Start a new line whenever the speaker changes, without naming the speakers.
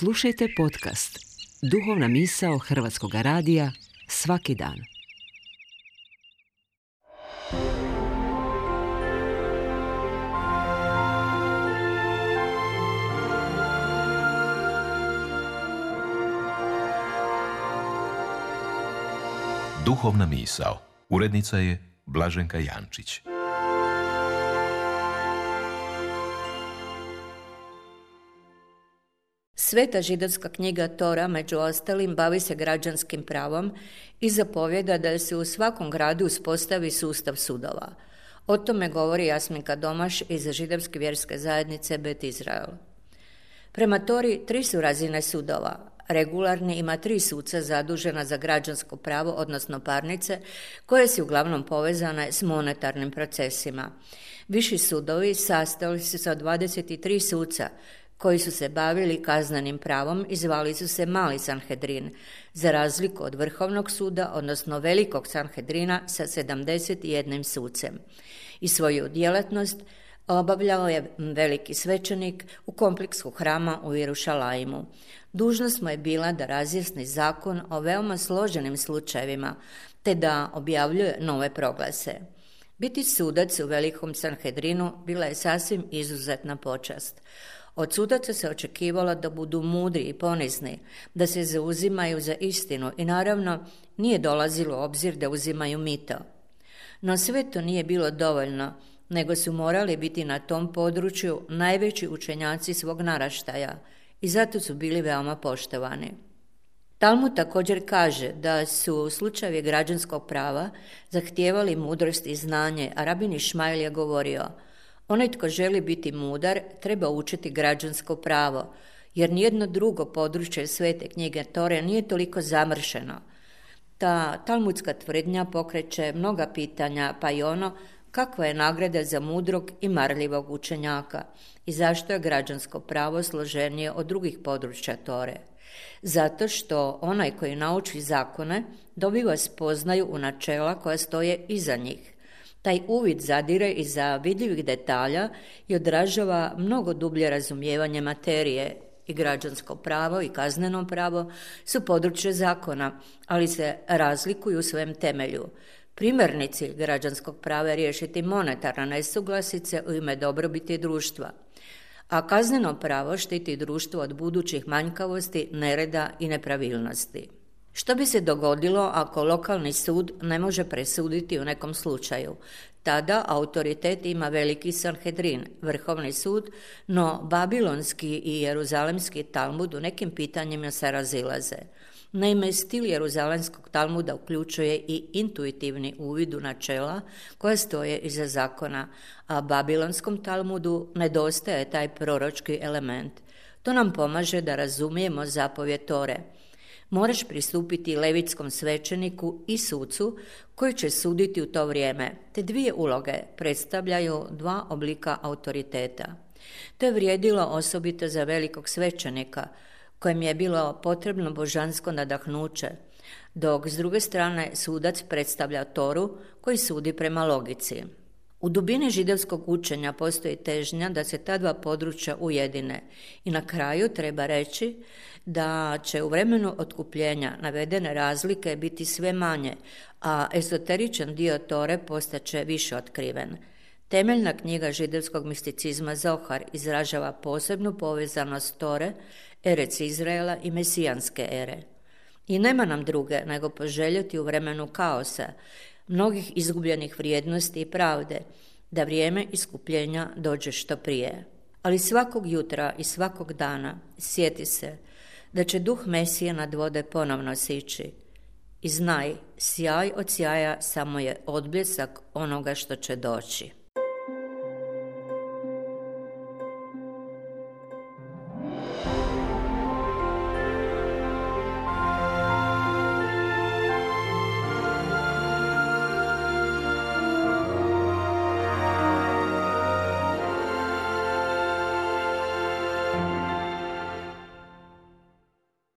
Slušajte podcast Duhovna misao Hrvatskog radija svaki dan.
Duhovna misao. Urednica je Blaženka Jančić.
Sveta židovska knjiga Tora, među ostalim, bavi se građanskim pravom i zapovjeda da se u svakom gradu uspostavi sustav sudova. O tome govori Jasminka Domaš iz židovske vjerske zajednice Bet Izrael. Prema Tori 3 su razine sudova. Regularni ima 3 suca zadužena za građansko pravo, odnosno parnice, koje su uglavnom povezane s monetarnim procesima. Viši sudovi sastojali su se od 23 suca, koji su se bavili kaznenim pravom i zvali su se Mali Sanhedrin, za razliku od Vrhovnog suda, odnosno Velikog Sanhedrina sa 71 sucem. I svoju djelatnost obavljao je veliki svećenik u kompleksu hrama u Jerušalaimu. Dužnost mu je bila da razjasni zakon o veoma složenim slučajevima, te da objavljuje nove proglase. Biti sudac u Velikom Sanhedrinu bila je sasvim izuzetna počast. Od sudaca se očekivalo da budu mudri i ponizni, da se zauzimaju za istinu i naravno nije dolazilo u obzir da uzimaju mito. No sve to nije bilo dovoljno, nego su morali biti na tom području najveći učenjaci svog naraštaja i zato su bili veoma poštovani. Talmud također kaže da su slučajevi građanskog prava zahtijevali mudrost i znanje, a rabin Išmael je govorio: onaj tko želi biti mudar treba učiti građansko pravo, jer nijedno drugo područje svete knjige Tore nije toliko zamršeno. Ta talmudska tvrdnja pokreće mnoga pitanja, pa i ono kakva je nagrada za mudrog i marljivog učenjaka i zašto je građansko pravo složenije od drugih područja Tore. Zato što onaj koji nauči zakone dobiva spoznaju u načela koja stoje iza njih. Taj uvid zadire iza vidljivih detalja i odražava mnogo dublje razumijevanje materije. I građansko pravo i kazneno pravo su područje zakona, ali se razlikuju u svojem temelju. Primarni cilj građanskog prava je riješiti monetarne nesuglasice u ime dobrobiti društva, a kazneno pravo štiti društvo od budućih manjkavosti, nereda i nepravilnosti. Što bi se dogodilo ako lokalni sud ne može presuditi u nekom slučaju? Tada autoritet ima Veliki Sanhedrin, Vrhovni sud, no babilonski i jeruzalemski Talmud u nekim pitanjima se razilaze. Naime, stil jeruzalemskog Talmuda uključuje i intuitivni uvid u načela koja stoje iza zakona, a babilonskom Talmudu nedostaje taj proročki element. To nam pomaže da razumijemo zapovjed Tore. Moraš pristupiti levitskom svećeniku i sucu koji će suditi u to vrijeme. Te 2 uloge predstavljaju 2 oblika autoriteta. To je vrijedilo osobito za velikog svećenika, kojem je bilo potrebno božansko nadahnuće, dok s druge strane sudac predstavlja Toru koji sudi prema logici. U dubini židovskog učenja postoji težnja da se ta 2 područja ujedine i na kraju treba reći da će u vremenu otkupljenja navedene razlike biti sve manje, a ezoteričan dio Tore postaće više otkriven. Temeljna knjiga židovskog misticizma Zohar izražava posebnu povezanost Tore, Erec Izraela i mesijanske ere. I nema nam druge nego poželjeti u vremenu kaosa, mnogih izgubljenih vrijednosti i pravde, da vrijeme iskupljenja dođe što prije. Ali svakog jutra i svakog dana sjeti se da će duh Mesije nad vode ponovno sići. I znaj, sjaj od sjaja samo je odbljesak onoga što će doći.